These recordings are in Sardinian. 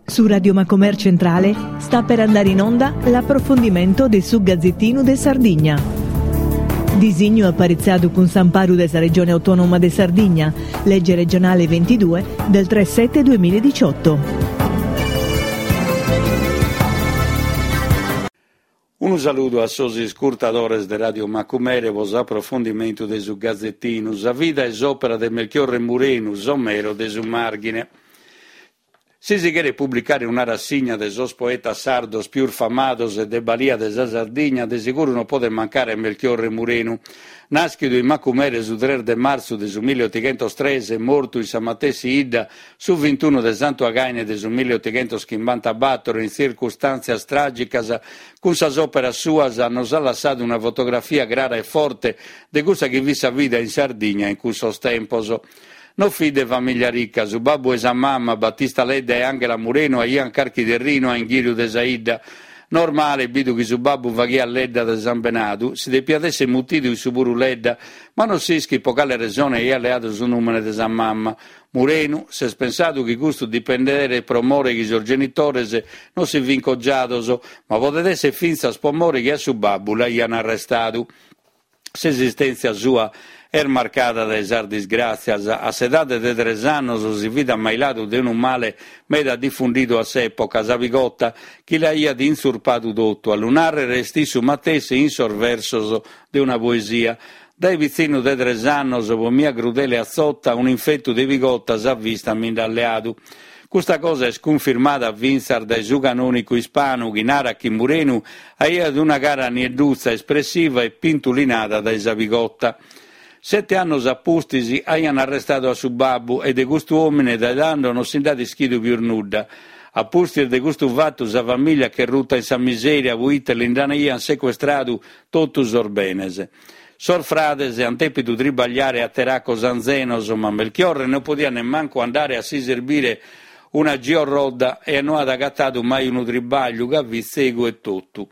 Su Radio Macomer Centrale sta per andare in onda l'approfondimento de su Gazettinu de Sardigna. Disignu aparitziadu cun s'amparu de sa Regione Autonoma de Sardigna, lege regionale 22 del 3 7 2018. Unu saludu a sos iscurtadores de Radio Macumere pro s'aprofondimentu de su Gazetinu, sa vida e s'òpera de Melchiorre Murenu, Somero de su Màrghine. Si si cheret publicare una rassigna de sos poetas sardos pius famados e de balia de sa Sardigna, de seguru non podet mancare Melchiorre Murenu. Nàschidu in Macumere su tres de martzu de su milliotighentos-tres e mortu in sa matessi 'idda su vintunu de Santu Againe de su milliotighentoschimbantabator in tzircustàntzias tràgicas, cun sas òperas suas nos at lassadu una fotografia crara e forte de cussa chi fit sa vida in Sardigna in cussos tempos. No fit de famìllia rica, su babbu e sa mama, Battista Ledda e Ànghela Murenu, aiant carchi terrinu a inghìriu de sa 'idda. Normale, bidu chi su babbu faghiat Ledda de sambenadu, si depiat esser mutidu issu puru Ledda, ma non s'ischit pro cale resone aiat leadu su nùmene de sa mama. Murenu, s'est pensadu chi custu dipenderet pro more chi sos genitores non si fint cogiados, ma podet esser fintzas pro more chi a su babbu l'aiant arrestadu. S'esistèntzia sua est marcada dae sas disgràtzias. A s'edade de tres annos si fit ammailadu de unu male meda difùndidu a s'època, sa pigota, chi l'aiat intzurpadu totu. A lu nàrrere est issu matessi in sos versos de una poesia. Dae pitzinnu de tres annos, pro mia crudele atzota, un'infetu de pigota sa vista mi nd'at leadu. Custa cosa est cunfirmada fintzas dae su canònicu Ispanu chi narat chi Murenu aiat una cara nieddutza, espressiva e pintulinada dae sa pigota. Sete annos a pustis aian arrestadu a su babbu e de custu òmine dae tando non si nd'at ischidu pius nudda. A pustis de custu fatu sa famìllia ch'est ruta in sa misèria proite li nd'aian secuestradu totu sos benes. Sos frades ant dèpidu tribagliare a teracos anzenos, ma Melchiorre non podiat nemmancu andare a si serbire una giorrodda e no at agatadu mai unu tribagliu ca fit tzegu e totu.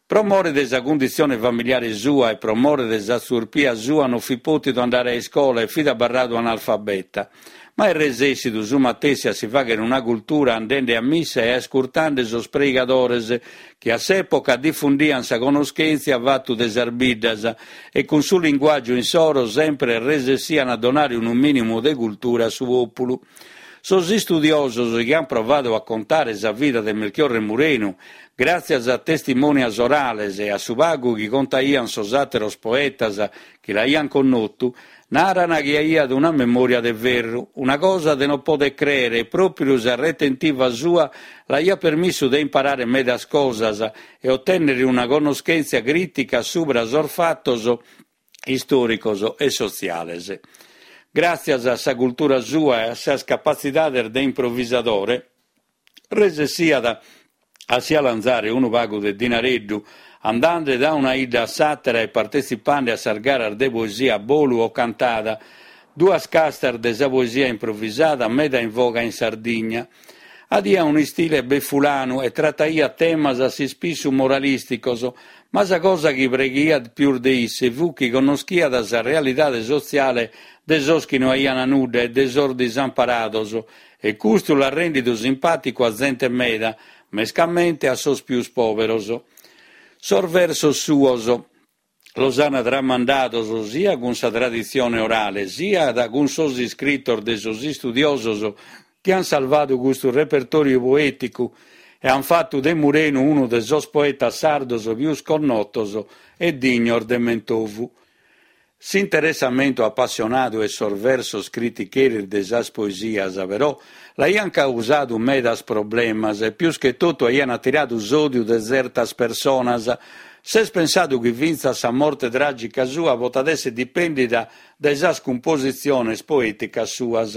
Pro more de sa cunditzione familiare sua e pro more de sa tzurpia sua non fit pòtidu andare a iscola e fit abarradu analfabeta. Ma est resèssidu su matessi a si fàghere una cultura andende a missa e ascurtende sos preigadores chi a s'època difundiant sa conoschèntzia fatu de sas biddas e cun su linguàgiu insoro sempre resessiant a donare unu mìnimu de cultura a su pòpulu. Sos istudiosos chi ant provadu a contare sa vida de Melchiorre Murenu, gràtzias a testimonias orales e a su pagu chi contaiant sos àteros poetas chi l'aiant connotu, Naran chi aiat una memòria de ferru, una cosa de non poder crèere e pròpiu sa retentiva sua l'aiat permissu de imparare medas cosas e otènnere una connoschèntzia crìtica subra sos fatos istòricos e sotziales. Gràtzias a sa cultura sua e a sas capatzidades de improvisadore, Resessiat a si 'alanzare unu pagu de dinareddu, andande da una 'idda a s'àtera e partetzipande a sas garas de poesia a bolu o cantada, duas castas de sa poesia improvisada meda in voga in Sardigna. Adiat un'istile befulanu e trataiat temas a s'ispissu moralìsticos, ma sa cosa chi preghiat pius de isse fut chi connoschiat sa realidade sotziale de sos chi no aian nudda e de sos disamparados E custu l'at rèndidu simpàticu a zente meda, mescamente a sos pius pòberos. Sos versos suos los an tramandados siat cun sa traditzione orale, siat cun sos iscritos de sos istudiosos chi an salvadu custu repertòriu poèticu e an fatu de Murenu unu de sos poetas sardos pius connotos e dignos de mentovu. S'interessamentu apassionadu e sos versos criticheris de sas poesias, però, l'aiant causadu medas problemas e pius che totu aiant atiradu s'òdiu de tzertas personas. S'est pensadu chi fintzas sa morte tràgica sua potat èssere dipèndida dae sas cumpositziones poèticas suas.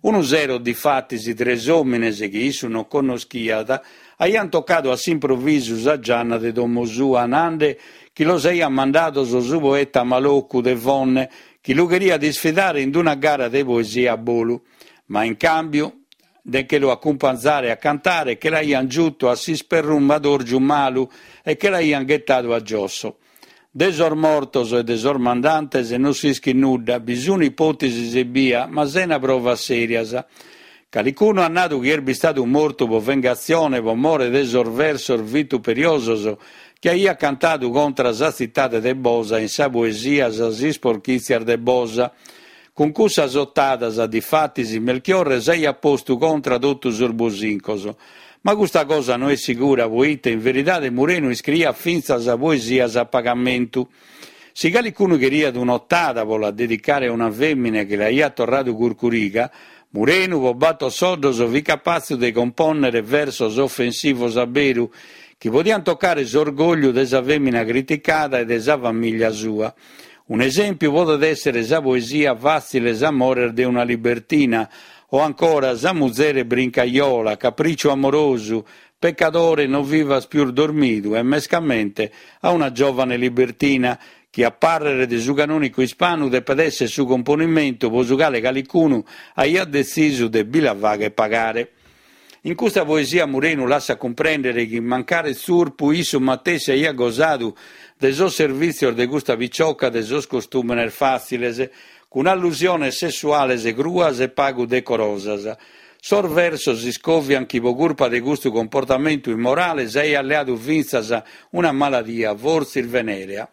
Unu sero, difatis, tres òmines chi issu non connoschiat aiant tocadu a s'improvisu sa gianna de domo sua, nande chi los aiat mandados su poeta Malocu de Fonne, chi lu cheriat isfidare in una gara de poesia a bolu. Ma in càmbiu de nche lu acumpanzare a cantare, che l'aiant giutu a s'isperrumadòrgiu malu e che l'aiant ghetadu a giosso. De sos mortos e de sos mandantes non s'ischit nudda, bi sun ipòtesis ebbia, ma sena provas sèrias. Calicunu at nadu chi est bistadu mortu po vengatzione po more de sos versos vituperiosos chi aiat cantadu contra sa tzitade de Bosa in sa poesia Sas isporchìtzias de Bosa. Cun cussas otadas, difatis, Melchiorre s'aiat postu contra totu sos bosincos. Ma custa cosa no est sigura poite in veridade Murenu iscriiat fintzas poesias a pagamentu. Si calicunu cheriat un'otada pro la dedicare a una fèmina chi l'aiat torradu curcuriga, Murenu pro bator soddos fit capatzu de compònnere versos ofensivos a beru, chi podiant tocare s'orgògliu de sa fèmina criticada e de sa famìllia sua. Un'esèmpiu podet èssere sa poesia Fàtziles amores de una libertina o ancora Sa muzere brincajola, Caprìciu amorosu, Peccadore no vivas pius dormidu e mescamente a una giovane libertina, chi a pàrrere de su canònicu Ispanu depet èssere su componimentu pro su cale calicunu aiat detzisu de bi la fagher pagare. In custa poesia Murenu lassat cumprèndere chi, mancari tzurpu, issu matessi aiat gosadu de sos servìtzios de custa picioca de sos costùmenes fàtziles, cun allusiones sessuales cruas e pagu decorosas. Sos versos iscòvian chi pro curpa de custu comportamentu immorale s'aiat leadu fintzas una maladia, fortzis venèrea.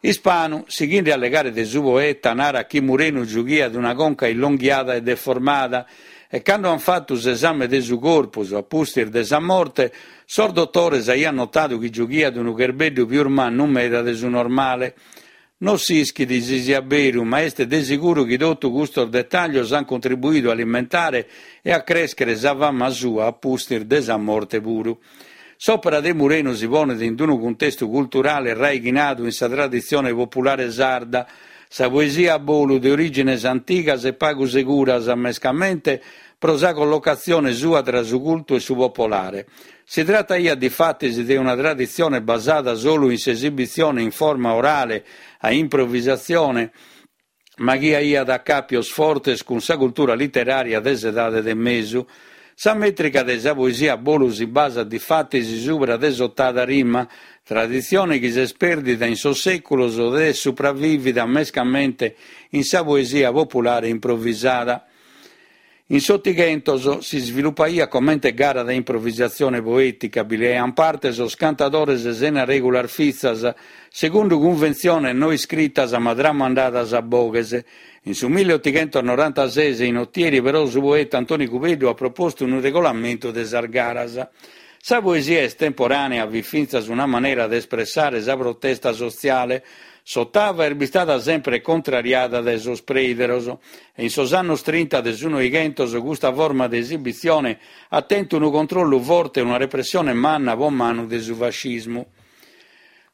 Ispanu, sighende a allegare de su poeta, narat chi Murenu giughiat una conca illonghiada e deformada e cando an fatu s'esame de su corpus a pustis de sa morte, sos dotores aian notadu chi giughiat unu cherbeddu pius mannu meda de su normale. No s'ischit si siat beru, ma est de siguru chi totu custos detàllios ant contribuidu a alimentare e a crèschere sa fama sua a pustis de sa morte puru. S'òpera de Murenu si ponet in unu cuntestu culturale raighinadu in sa traditzione populare sarda, sa poesia a bolu de orìgines antigas e pagu seguras, mescamente pro sa collocatzione sua tra su cultu e su popolare. Si trataiat difatis de una traditzione basada solu in s'esibitzione in forma orale a improvisatzione, ma chi aiat acàpios fortes cun sa cultura literària de s'Edade de Mesu. Sa mètrica de sa poesia a bolu si basat difatis subra de s'otada rima, traditzione chi s'est pèrdida in sos sèculos ed est supravìvida mescamente in sa poesia populare improvisada. In s'Otighentos si isvilupaiat comente gara de improvisatzione poètica, bi leaiant parte sos cantadores sena règulas fissas, segundu cunventziones no iscritas ma tramandadas a boghes. In su milleotighentosnorantases in Otieri però su poeta Antoni Cubeddu at propostu unu regolamentu de sas garas. Sa poesia estemporànea fit fintzas una manera de espressare sa protesta sotziale. S'otava est bistada sempre contrariada dae sos preideros e in sos annos trinta de su Noighentos custa forma de esibitzione at tentu unu controllu forte e una repressione manna po manu de su fascismu.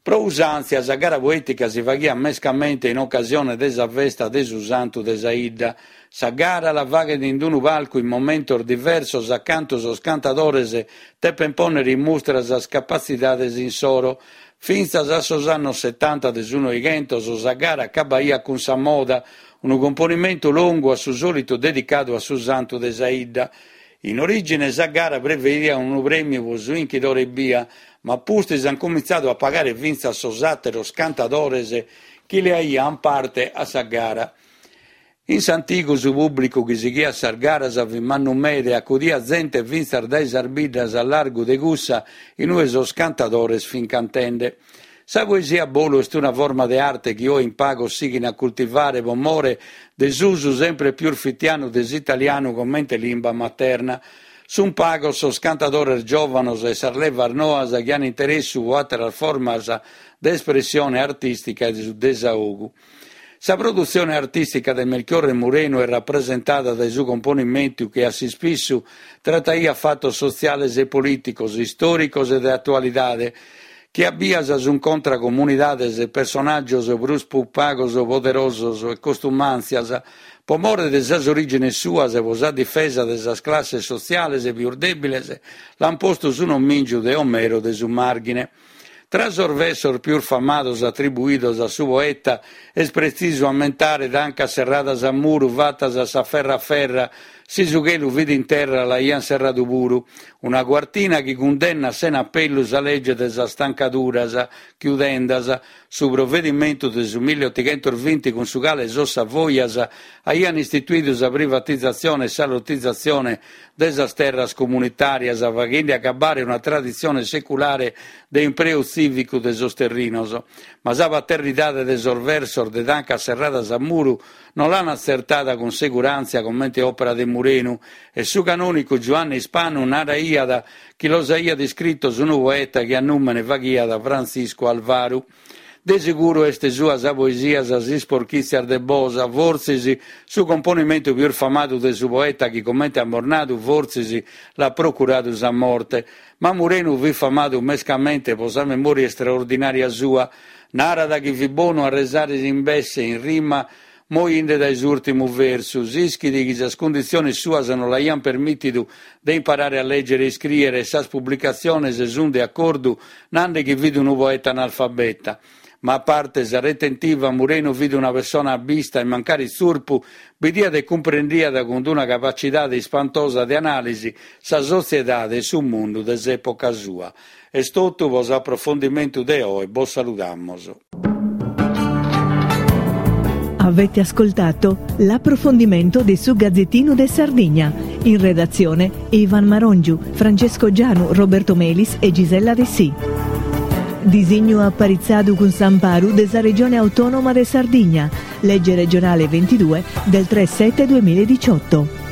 Pro usàntzia sa gara poètica si faghiat mescamente in ocasione de sa festa de su santu de sa 'idda. Sa gara la faghent in unu palcu in momentos diversos a cantu sos cantadores depent pònnere in mustra sas capatzidades insoro. Fintzas a sos annos setanta de su Noighentos sa gara acabaiat cun sa moda, unu componimentu longu a su sòlitu dedicadu a su santu de sa 'idda. In orìgine sa gara prevediat unu prèmiu pro su 'inchidore ebbia, ma a pustis ant cumintzadu a pagare fintzas sos àteros cantadores chi leaiant parte a sa gara. In s'antigu su pùblicu chi sighiat sas garas fit mannu meda e acudiat zente fintzas dae sas biddas a largu de cussa in ue sos cantadores fint cantende. Sa poesia a bolu est una forma de arte chi oe in pagos sighin a cultivare pro more de s'usu sempre pius fitianu de s'italianu comente limba materna. Sunt pagos sos cantadores giòvanos e sas levas noas chi an interessu pro àteras formas de espressione artìstica e de su desaogu. Sa produtzione artìstica de Melchiorre Murenu est rapresentada dae su componimentu chi a s'ispissu trataiat fatos sotziales e polìticos, istòricos e de atualidade, chi a bias sunt contra comunidades e personàgios prus pagos poderosos e costumàntzias, pro more de sas orìgines suas e pro sa difesa de sas classes sotziales pius dèbiles, l'ant postu su nomìngiu de Omero de su Màrghine. Tra sos versos pius famados atribuidos a su poeta est pretzisu ammentare Tancas serradas a muru fatas a s'aferra aferra. Si su chelu fit in terra l'aiant serradu puru. Una cuartina chi cundennat sena apellu sa lege de sas tancaduras, chiudendas, su provedimentu de su milliottighentosvinti cun su cale sos Savoias aiant istituidu sa privatizatzione e sa lotizatzione de sas terras comunitàrias, faghende acabbare una traditzione seculare de impreu tzìvicu de sos terrinos. Ma sa paternidade de sos versos de tancas serradas a muru no l'an atzertada cun seguràntzia comente òpera de Murenu e su canònicu Giuanne Ispanu naraiat chi los aiat iscritos unu poeta chi a nùmene faghiat Frantziscu Alvaru. De seguru est sua sa poesia Sas isporchìtzias de Bosa, fortzis su componimentu pius famadu de su poeta chi, comente amus nadu, fortzis l'at procuradu sa morte. Ma Murenu fit famadu mescamente pro sa memòria istraordinària sua. Narat chi fit bonu a resare s'imbesse in rima Moinde dae s'ùrtimu versu, s'ischit chi sas cunditziones suas no l'aiant permìtidu de imparare a lègere e iscrìere e sas publicatziones sunt de acordu nande chi fit unu poeta analfabeta. Ma a parte sa retentiva, Murenu fit una pessona abbista e mancari tzurpu, bidiat e cumprendiat cun una capacidade ispantosa de anàlisi sa sotziedade e su mundu de s'època sua. Est totu pro s'aprofondimentu de oe, bos saludamos. Avete ascoltato l'approfondimento de su Gazzettino de Sardigna. In redazione Ivan Marongiu, Francesco Gianu, Roberto Melis e Gisella Dessì. Disignu aparitzadu cun s'amparu de sa Regione Autonoma de Sardigna, legge regionale 22 del 3 7 2018.